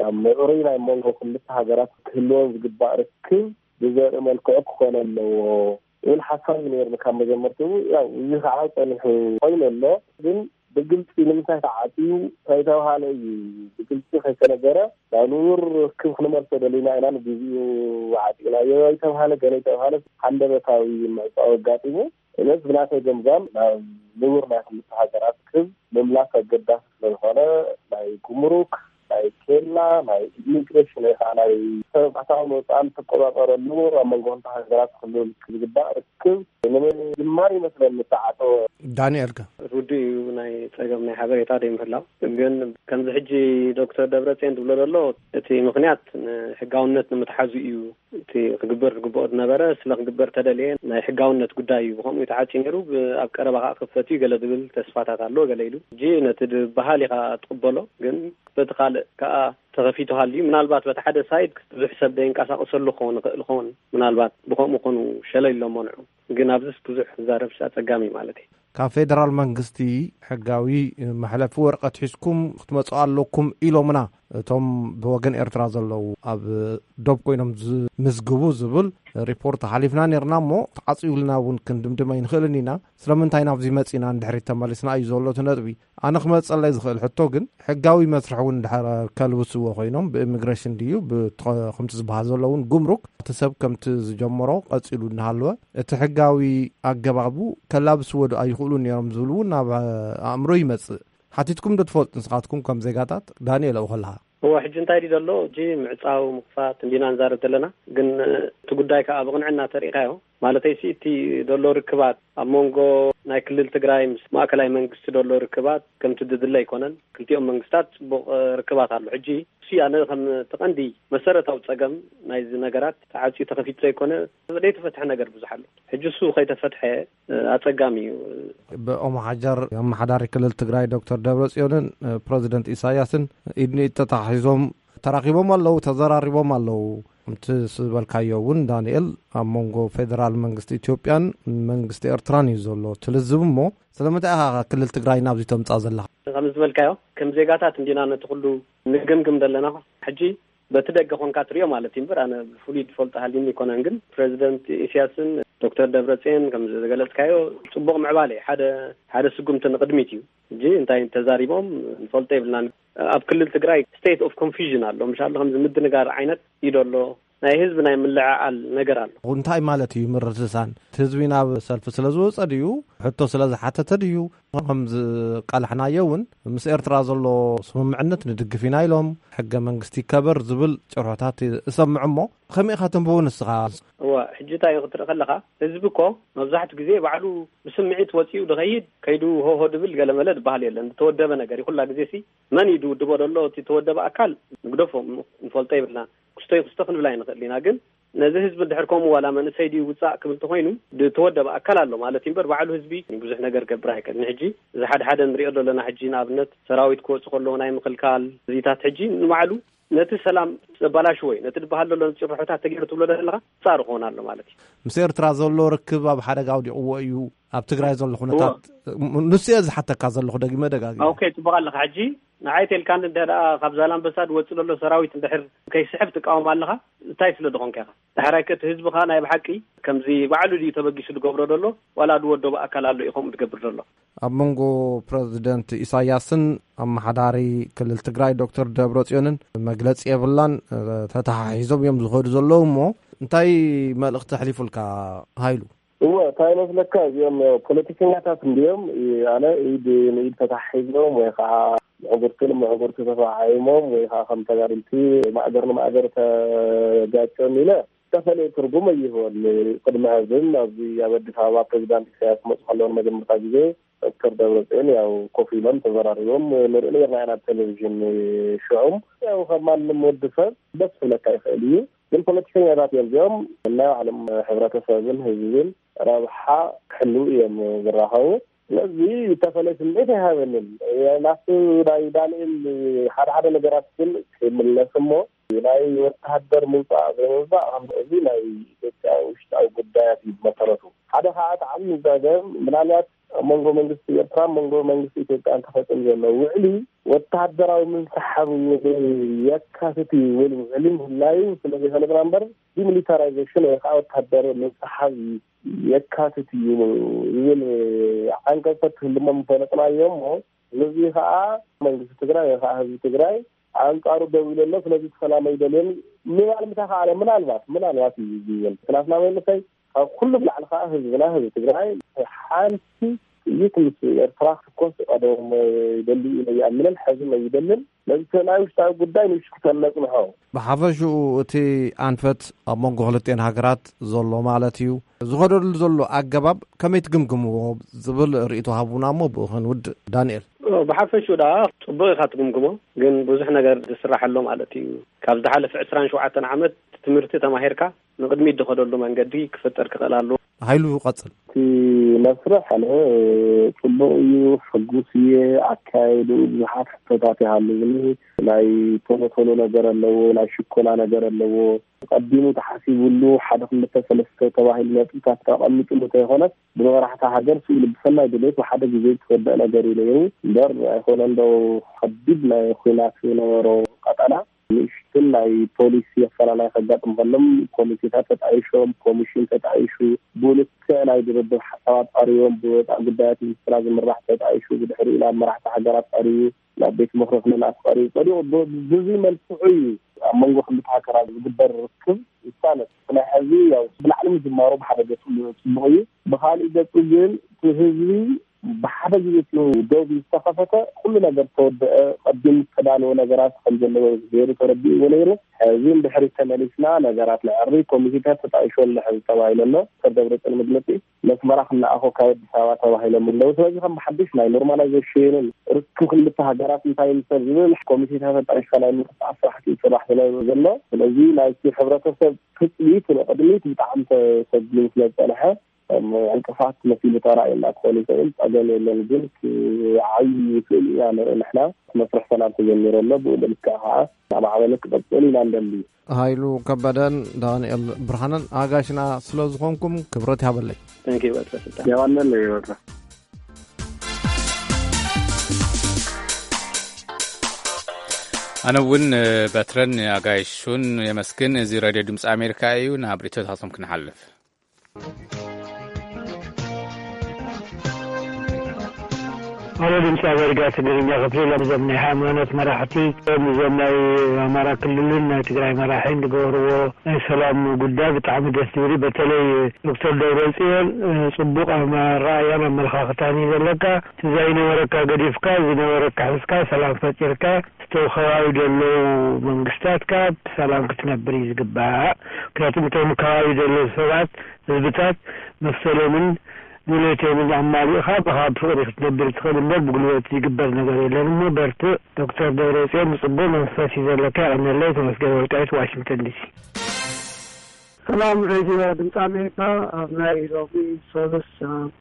ኣብ ምዕሩይ ናይ መንጎ ክልተ ሃገራት ክህልወን ዝግባእ ርክብ ብዘርኢ መልክዑ ክኾን ኣለዎ ዝብል ሓሳብ እዩ ነይርኒ ካብ መጀመርትኡ። ያው፣ እዚ ከዓ ጸኒሑ ኮይኑ ኣሎ። ግን ብግልጺ ንምንታይ ተዓጽዩ ከይተባሃለ እዩ፣ ብግልጺ ከይተነገረ፣ ናብ ንቡር ርክብ ክንመልሶ ደሊና ኢና፣ ንግዜኡ ዓጺናዮ ኣይተባሃለ፣ ገለ ኣይተባሃለ፣ ሃንደበታዊ ምዕጻው ኣጋጢሙ። እነስ ብናተይ ገምጋም ናብ ንቡር ናይ ክልተ ሃገራት ርክብ ምምላስ ኣገዳሲ ስለ ዝኾነ፣ ናይ ጉምሩክ፣ ናይ ኬላ፣ ናይ ኢሚግሬሽን ወይ ከዓ ናይ ሰብ ኣታውን ወፃእን ትቆፃፀረሉ፣ ኣብ መንጎ ክልተ ሃገራት ክህሉ ዝግባእ ርክብ ንምጅማር ይመስለኒ ዝተዓፀወ። ዳንኤል ከ? ርዱእ እዩ፣ ናይ ፀገም ናይ ሓበሬታ ዘይምህላው። ግን ከምዚ ሕጂ ዶክተር ደብረፅዮን ዝብሎ ዘሎ፣ እቲ ምኽንያት ንሕጋውነት ንምትሓዙ እዩ። እቲ ክግበር ዝግብኦ ዝነበረ ስለ ክግበር ተደልየ ናይ ሕጋውነት ጉዳይ እዩ። ብኸምኡ እዩ ተዓጽዩ ነይሩ። ብ-፣ ኣብ ቀረባ ከኣ ክፈት እዩ ገለ ዝብል ተስፋታት ኣሎ ገለ ኢሉ። ሕጂ ነቲ ድበሃል ኢኻ ትቕበሎ፣ ግን በቲ ካልእ ከኣ ተኸፊቱ ሃልዩ፣ ምናልባት በቲ ሓደ ሳይድ ብዙሕ ሰብ ደይንቀሳቐሰሉ ክኸውን ይኽእል ይኸውን። ምናልባት ብኸምኡ ኮኑ ሸለል ኢሎም መንዑ። ግን ኣብዚስ ብዙሕ ክዛረብስ ኣጸጋሚ ማለት እዩ። ካብ ፌደራል መንግስቲ ሕጋዊ መሕለፊ ወረቐት ሒዝኩም ክትመጹ ኣለኩም ኢሎምና። እቶም ብወገን ኤርትራ ዘለዉ ኣብ ዶብ ኮይኖም ዝምዝግቡ ዝብል ሪፖርት ሓሊፍና ነርና እሞ፣ ተዓጽዩልና እውን ክንድምድም ኣይንኽእልን ኢና። ስለምንታይ ናብዚ መጺና ንድሕሪት ተመሊስና እዩ ዘሎ እቲ ነጥቢ። ኣነ ክመጸለይ ዝኽእል ሕቶ ግን፣ ሕጋዊ መስርሕ እውን ድሕር ከልብስዎ ኮይኖም፣ ብኢሚግሬሽን ድዩ፣ ብ-፣ ከምቲ ዝበሃል ዘሎ እውን ጉምሩክ፣ እቲ ሰብ ከምቲ ዝጀመሮ ቀጺሉ እናሃለወ፣ እቲ ሕጋዊ ኣገባቡ ከላብስዎ ዶ ኣይኽእሉን ነይሮም ዝብል እውን ናብ ኣእምሮ ይመጽእ። ሓቲትኩም ዶ ትፈልጡ ንስኻትኩም ከም ዜጋታት? ዳንኤል፣ ኣብኡ ከለኻ። እወ፣ ሕጂ እንታይ ድዩ ዘሎ? ሕጂ ምዕጻው፣ ምኽፋት እንዲና ንዛረብ ዘለና። ግን እቲ ጉዳይ ከኣ ብቕንዕና ተሪኢኻዮ፣ ማለተይሲ እቲ ዘሎ ርክባት ኣብ መንጎ ናይ ክልል ትግራይ ምስ ማእከላይ መንግስቲ ዘሎ ርክባት ከምቲ ድድለ ኣይኮነን። ክልቲኦም መንግስታት ጽቡቕ፣ እ፣ ርክባት ኣሎ። ሕጂ እሱ ኣነ ከም እቲ ቀንዲ መሰረታዊ ጸገም ናይዚ ነገራት ተዓጽዩ ተኸፊቱ ዘይኮነ፣ ዘይተፈትሐ ነገር ብዙሕ ኣሎ። ሕጂ እሱ ከይተፈትሐ፣ እ፣ ኣጸጋሚ እዩ። ብኦም ሓጀር ኣመሓዳሪ ክልል ትግራይ ዶክተር ደብረጽዮንን፣ እ፣ ፕረዚደንት ኢሳያስን ኢድ ንኢድ ተታሒዞም ተራኺቦም ኣለዉ፣ ተዘራሪቦም ኣለዉ። ከምቲ ዝበልካዮ እውን ዳንኤል፣ ኣብ መንጎ ፌደራል መንግስቲ ኢትዮጵያን መንግስቲ ኤርትራን እዩ ዘሎ እቲ ልዝብ። እሞ ስለምንታይ ኢኻ ክልል ትግራይ ናብዚ ተምጻእ ዘለኻ? ከም ዝበልካዮ፣ ከም ዜጋታት እንዲና ነቲ ኩሉ ንግምግም ዘለና። ሕጂ በቲ ደገ ኮንካ ትሪኦ ማለት እዩ እምበር፣ ኣነ ብፍሉይ ዝፈልጦ ሃልዩኒ ኣይኮነን። ግን ፕረዚደንት ኢሳያስን ዶክተር ደብረጽዮን ከም ዝገለጽካዮ ጽቡቕ ምዕባለ እዩ። ሓደ፣ ሓደ ስጉምቲ ንቕድሚት እዩ። ሕጂ እንታይ ተዛሪቦም ንፈልጦ የብልናን። ኣብ ክልል ትግራይ ስቴት ኦፍ ኮንፊዥን ኣሎ። ምሻሎ ከምዚ ምድንጋር ዓይነት እዩ ደሎ። ናይ ህዝቢ ናይ ምልዕዓል ነገር ኣሎ። እንታይ ማለት እዩ ምርድሳን? እቲ ህዝቢ ናብ ሰልፊ ስለ ዝወጸ ድዩ? ሕቶ ስለ ዝሓተተ ድዩ? ከም ዝቃላሕናዮ እውን ምስ ኤርትራ ዘሎ ስምምዕነት ንድግፍ ኢና ኢሎም፣ ሕገ መንግስቲ ይከበር ዝብል ጭርሖታት እሰምዕ። እሞ ከመይ ኢኻ ተንብቦ ንስኻ? እዋ፣ ሕጂ እንታይ እዩ ክትርኢ ከለኻ፣ ህዝቢ እኮ መብዛሕትኡ ግዜ ባዕሉ ብስምዒት ወጺኡ ድኸይድ፣ ከይዱ ሆሆ ድብል ገለመለ ድበሃል የለን። ዝተወደበ ነገር እዩ። ኩላ ግዜ ሲ መን እዩ ድውድቦ ደሎ? እቲ ተወደበ ኣካል ንግደፎ፣ ንፈልጦ የብልናን። ክስቶ ይክስቶ ክንብል ኣይንኽእል ኢና። ግን ነዚ ህዝቢ እንድሕር ከምኡ ዋላ መንእሰይ ድዩ ውጻእ ክብል እንተኾይኑ፣ ዝተወደበ ኣካል ኣሎ ማለት እዩ እምበር፣ ባዕሉ ህዝቢ ብዙሕ ነገር ገብር ኣይክእልን። ሕጂ እዚ ሓደ ሓደ ንሪኦ ዘለና፣ ሕጂ ንኣብነት ሰራዊት ክወጽእ ከለዎ ናይ ምክልካል እዚታት፣ ሕጂ ንባዕሉ ነቲ ሰላም ዘበላሽዎ እዩ። ነቲ ዝበሃል ዘሎ ጭርሖታት ተገይሩ ትብሎ ዘለኻ ጻሩ ክኾን ኣሎ ማለት እዩ። ምስ ኤርትራ ዘሎ ርክብ ኣብ ሓደጋ ኣውዲቕዎ እዩ፣ ኣብ ትግራይ ዘሎ ኩነታት። እዎ። ም-፣ ንሱ እየ ዝሓተካ ዘለኹ፣ ደጊመ ደጋጊመ። ኦኬ፣ ጽቡቕ ኣለኻ። ሕጂ ንዓይ ተልካኒ እንተ ደኣ ካብ ዛላምበሳ ዝወጽእ ዘሎ ሰራዊት እንድሕር ከይስሕብ ትቃወም ኣለኻ፣ እንታይ ስለ ዝኾንካ ኢኻ? ዳሕራይ ከ እቲ ህዝብኻ ናይ ብሓቂ ከምዚ ባዕሉ ድዩ ተበጊሱ ዝገብሮ ዘሎ፣ ዋላ ዝወደቦ ኣካል ኣሎ እዩ ከምኡ ዝገብር ዘሎ? ኣብ መንጎ ፕረዚደንት ኢሳያስን ኣመሓዳሪ ክልል ትግራይ ዶክተር ደብረጽዮንን መግለጺ የብላን። ተተሓሒዞም እዮም ዝኸዱ ዘለዉ። እሞ እንታይ መልእኽቲ ኣሕሊፉልካ ሃይሉ? እወ፣ እንታይ መስለካ፣ እዚኦም ፖለቲከኛታት እንዲዮም። ኣነ ኢድ ንኢድ ተተሓሒዞም ወይ ከዓ ምዕጉርቲ ንምዕጉርቲ ተፈዓዒሞም ወይ ከዓ ከም ተጋደልቲ ማእገር ንማእገር ተጋጭዮም ኢለ ዝተፈለየ ትርጉም ኣይህቦን። ቅድሚ ሕዝን ኣብዚ ኣብ ኣዲስ ኣበባ ፕሬዚዳንት ኢሳያስ ክመፁ ከለዉ ንመጀመርታ ግዜ ዶክተር ደብረፅዮን ያው ኮፍ ኢሎም ተዘራሪቦም ንርኢ ነርና ኢና ኣብ ቴሌቪዥን። ሽዑም ያው ከም ማንም ወዲ ሰብ ደስ ክብለካ ይኽእል እዩ፣ ግን ፖለቲከኛታት እዮም እዚኦም። ናይ ባዕሎም ሕብረተሰብን ህዝብን ረብሓ ክሕልው እዮም ዝራኸቡ። ስለዚ ዝተፈለየ ስምዒት ኣይሃበንን። ናብቲ ናይ ዳንኤል ሓደ ሓደ ነገራት ግን ክምለስ እሞ፣ ናይ ወተሃደር ምውፃእ ዘይምውፃእ ከም እዚ ናይ ኢትዮጵያ ውሽጣዊ ጉዳያት እዩ ብመሰረቱ። ሓደ ከዓ እቲ ዓብዪ ፀገም ምናልባት ኣብ መንጎ መንግስቲ ኤርትራ መንጎ መንግስቲ ኢትዮጵያ እንተፈፂሙ ዘሎ ውዕሊ ወተሃደራዊ ምንስሓብ የካትት እዩ ዝብል ውዕሊ ምህላዩ ስለ ዘይፈለጥና እምበር፣ ዲሚሊታራይዜሽን ወይ ከዓ ወተሃደር ምንስሓብ የካትት እዩ ዝብል ዓንቀፅ ተትህልሞ ምፈለጥናዮ እሞ፣ ነዚ ከዓ መንግስቲ ትግራይ ወይ ከዓ ህዝቢ ትግራይ ኣንጻሩ ደው ኢሉ ኣሎ። ስለዚ እቲ ሰላም ኣይደልዮን ምባል ምተኻእለ፣ ምናልባት፣ ምናልባት እዩ ዝብል። ምክንያቱ ናበይ ምሳይ፣ ካብ ኩሉ ብላዕሊ ከዓ ህዝብና፣ ህዝቢ ትግራይ ሓንቲ ጥይት ምስ ኤርትራ ክትኮስ ቀደም ይደሊ እዩ ኣይኣምንን፣ ሕዚ ኣይደልን። ነዚ ናይ ውሽጣዊ ጉዳይ ንውሽጢ ክተነጽንሖ። ብሓፈሽኡ እቲ ኣንፈት ኣብ መንጎ ክልቲኤን ሃገራት ዘሎ ማለት እዩ። ዝኸደሉ ዘሎ ኣገባብ ከመይ ትግምግምዎ ዝብል ርእይቶ ሃቡና እሞ ብኡ ክንውድእ። ዳንኤል። ብሓፈሽኡ ደኣ ጽቡቕ ኢኻ ትግምግሞ፣ ግን ብዙሕ ነገር ዝስራሕ ኣሎ ማለት እዩ። ካብ ዝሓለፈ ዕስራን ሸውዓተን ዓመት ትምህርቲ ተማሂርካ ንቕድሚት ዝኸደሉ መንገዲ ክፍጠር ክኽእል ኣለዎ። ሃይሉ ቀጽል። እቲ መስርሕ ኣነ ጽቡቕ እዩ፣ ሕጉስ እየ። ኣካየዱ ብዙሓት ሕቶታት ይሃሉኒ። ናይ ቶሎ ቶሎ ነገር ኣለዎ፣ ናይ ሽኮላ ነገር ኣለዎ። ቀዲሙ ተሓሲቡሉ ሓደ ክልተ ሰለስተ ተባሂሉ ነጥብታት ተቐሚጥሉ እንተይኮነስ፣ ብመራሕቲ ሃገር ስኢሉ ብሰናይ ድሌት ብሓደ ግዜ ዝተወደአ ነገር እዩ ነይሩ። እምበር ኣይኮነ እንዶ ከቢድ ናይ ኹናት ዝነበሮ ቀጠና ንእሽትን ናይ ፖሊሲ ኣፈላላይ ከጋጥም ከሎም ኮሚቴታት ተጣይሾም፣ ኮሚሽን ተጣይሹ፣ ብልክዕ ናይ ድርድር ሓሳባት ቀሪቦም፣ ብወፃኢ ጉዳያት ሚኒስትራ ዝምራሕ ተጣይሹ፣ ብድሕሪኡ ናብ መራሕቲ ሃገራት ቀሪቡ፣ ናብ ቤት ምኽሪ ክልላት ቀሪቡ፣ ፀዲቑ ብ-፣ ብዙይ መልክዑ እዩ ኣብ መንጎ ክልተ ሃገራት ዝግበር ርክብ ይሳለጥ። ናይ ሕዚ ያው ብላዕሊ ምጅማሩ ብሓደ ገፁ ጽቡቕ እዩ። ብኻሊእ ገፁ ግን እቲ ህዝቢ ብሓደ ግዜ እቲ ዶብ ዝተኸፈተ ኩሉ ነገር ተወደአ፣ ቀዲሙ ዝተዳለወ ነገራት ከም ዘለዎ ገይሩ ተረዲእዎ ነይሩ። ሕዚ እንድሕሪ ተመሊስና ነገራት ንዕሪ ኮሚቴታት ተጣይሾ ኣለሐ ዝተባሂለ ኣሎ። ዶክተር ደብረፅዮን መግለፂ መስመራ ክነኣኾ ካብ ኣዲስ ኣበባ ተባሂሎም ኣለዉ። ስለዚ ከም ብሓድሽ ናይ ኖርማላይዜሽንን ርክብ ክልተ ሃገራት እንታይ ይምሰል ዝብል ኮሚቴታት ተጣይሽካ ናይ ምንቅስቃስ ስራሕቲ ይስራሕ ስለ ዘሎ፣ ስለዚ ናይቲ ሕብረተሰብ ትጽቢት ንቕድሚት ብጣዕሚ ተሰጊሙ ስለ ዝጸንሐ፣ ከም ዕንቅፋት መሲሉ ተራእየና ክኾን ይኽእል፣ ጸገም የለን። ግን ክዓቢ ይኽእል ኢና ንርኢ ንሕና። እቲ መስርሕ ሰላም ተጀሚሩ ኣሎ፣ ብኡ ልክዕ ከዓ እናማዕበለ ክቐጽል ኢና ንደሊ። ሃይሉ ከበደን ዳንኤል ብርሃንን ኣጋሽና ስለ ዝኾንኩም ክብረት ይሃበለይ። Thank you፣ ኣቶ ስልጣን። የዋነለይ ወራ። ኣነ እውን በትረን ኣጋይሹን የመስግን። እዚ ሬድዮ ድምፂ ኣሜሪካ እዩ። ናብ ሪቶታቶም ክንሓልፍ። ኣሎ ድምፂ ኣሜሪካ ትግርኛ ክፍሊ፣ ነዞም ናይ ሃይማኖት መራሕቲ፣ ነዞም ናይ ኣማራ ክልልን ናይ ትግራይ መራሒን ዝገበርዎ ናይ ሰላም ጉዳይ ብጣዕሚ ደስ ዝብል እዩ። በተለይ ዶክተር ደብረፅዮን፣ እ፣ ፅቡቅ ኣመራእያን ኣመለኻኽታን እዩ ዘለካ። እቲ ዘይነበረካ ገዲፍካ፣ ዝነበረካ ሒዝካ፣ ሰላም ፈጢርካ፣ እቲ ከባቢ ዘለዉ መንግስታትካ ብሰላም ክትነብር እዩ ዝግባእ። ምክንያቱም እቶም ከባቢ ዘለዉ ሰባት፣ ህዝብታት መሰሎምን ድሌቶምን ኣማሊእኻ ብኻ ብፍቕሪ ክትነብር ትኽእል እምበር ብጉልበት ዝግበር ነገር የለን እሞ በርትዕ። ዶክተር ደብረጽዮን ብጽቡቕ መንፈስ እዩ ዘለካ። የቐንየለይ። ተመስገን ወልቃይት፣ ዋሽንግተን ዲሲ። ሰላም ሬድዮ ድምፂ ኣሜሪካ፣ ኣብ ናይ ሎሚ ሶሉስ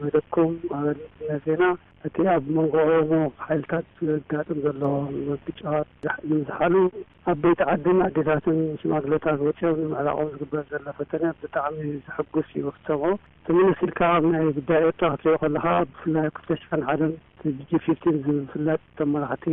መደብኩም ኣበልነ ዜና እቲ ኣብ መንጎ ኦሮሞ ሓይልታት ዘጋጥም ዘሎ ግጭት ንምዝሓሉ ዓበይቲ ዓድን ኣዴታትን ሽማግለታት ወፂኦም ንምዕራቖም ዝግበር ዘሎ ፈተነ ብጣዕሚ ዘሐጉስ እዩ ክትሰምዖ። ተመለስ ኢልካ ኣብ ናይ ጉዳይ ኤርትራ ክትሪኦ ከለኻ ብፍላይ ኣብ ክልተ ሽሕን ሓደን እቲ ጂ ፊፍቲን ዝብል ዝፍለጥ እቶም መራሕቲ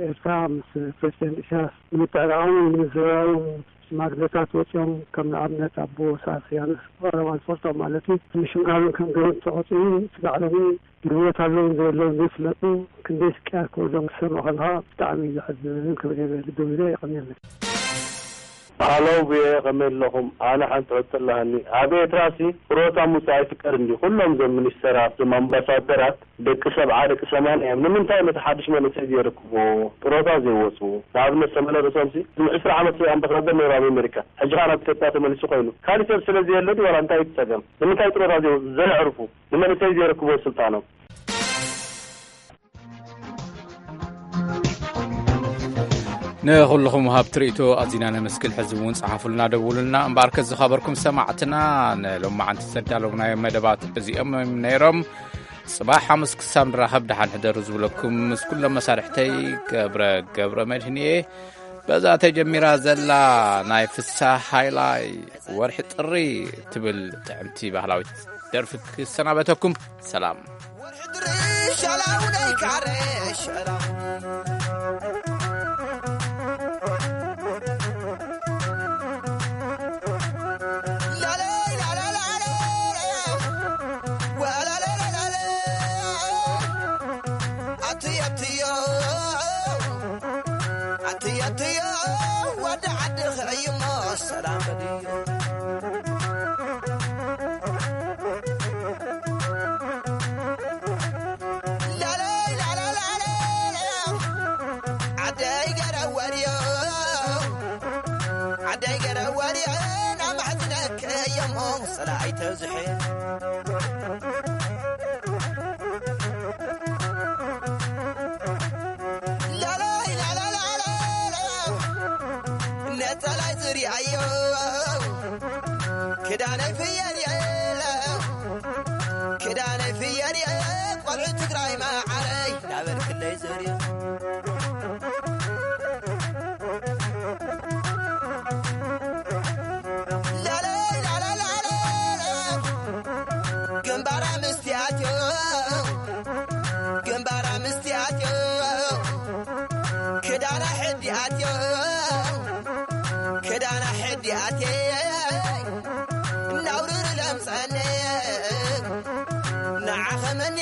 ኤርትራ ምስ ፕሬዚደንት ኢሳያስ ንምትዕራቖምን ንምዝርራቦም ሽማግለታት ወፂኦም ከም ንኣብነት ኣቦ ሳስያንስ ቀረባ ዝፈልጦም ማለት እዩ ንምሽምጋሉን ከም ገበን ተቆፂሩ ስጋዕሎምን ንህይወት ኣለውን ዘየለውን ዘይፍለጡ ክንደይ ስቅያት ክወርዶም ክትሰምዕ ከለኻ ብጣዕሚ እዩ ዘሕዝንን ክብል እየ ልደው ኢለ የቐንየለይ። ሃሎ ቪኦኤ ከመይ ኣለኹም? ኣነ ሓንቲ ሕቶ ኣለሃኒ። ኣብ ኤርትራሲ ጥሮታ ምውጻእ ኣይፍቀድን ድዩ? ኩሎም እዞም ሚኒስተራት፣ እዞም ኣምባሳደራት ደቂ ሰብዓ ደቂ ሰማንያ እዮም። ንምንታይ ነቲ ሓድሽ መንእሰይ ዘይረክብዎ? ጥሮታ ዘይወጹ ንኣብነት ሰመለ ርእሶምሲ ዕስራ ዓመት ኣምባሳደር ነይሩ ኣብ ኣሜሪካ። ሕጂ ኸኣ ናብ ኢትዮጵያ ተመሊሱ ኮይኑ። ካሊእ ሰብ ስለ ዘየለ ድዩ ዋላ እንታይ እዩ እቲ ጸገም? ንምንታይ ጥሮታ ዘይወጹ? ዘየዕርፉ? ንመንእሰይ ዘይረክብዎ ስልጣኖም? ንኹልኹም ወሃብቲ ርእይቶ ኣዚና ነመስግን። ሕዚ እውን ጸሓፉልና፣ ደውሉልና። እምበኣርከስ ዝኸበርኩም ሰማዕትና፣ ንሎማዓንቲ ዘዳለውናዮም መደባት እዚኦም እዮም ነይሮም። ጽባሕ ሓሙስ ክሳብ ንራኸብ ደሓን ሕደሩ ዝብለኩም ምስ ኩሎም መሳርሕተይ ገብረ ገብረ መድህን እየ። በዛ ተጀሚራ ዘላ ናይ ፍስሃ ሃይላይ ወርሒ ጥሪ ትብል ጥዕምቲ ባህላዊት ደርፊ ክሰናበተኩም። ሰላም። ወርሒ ጥሪ ሻላው ናይ ካረ ሻላው። ላለይ ላላ ላላ። ወላላ ላላ። ኣትዮ ኣትዮ። ኣትዮ ኣትዮ። ወዲ ዓዲ ኽዕይሞ ሰላም በልዮ። ላለይ ላላ ላላ። ዓደይ ገረወርዮ። ዓደይ ገረወርዮ። ናማሕዝነከ እዮሞ ሰላይ ተዝሐ። ላላይ ላላ ላላ። ነጸላይ ዝርያዮ። ክዳነይ ፍየል የለ። ክዳነይ ፍየል ኣትዮ ክዳና ሕዲ ኣትየ እናውርር ለምፀኒ ንዓኸ መን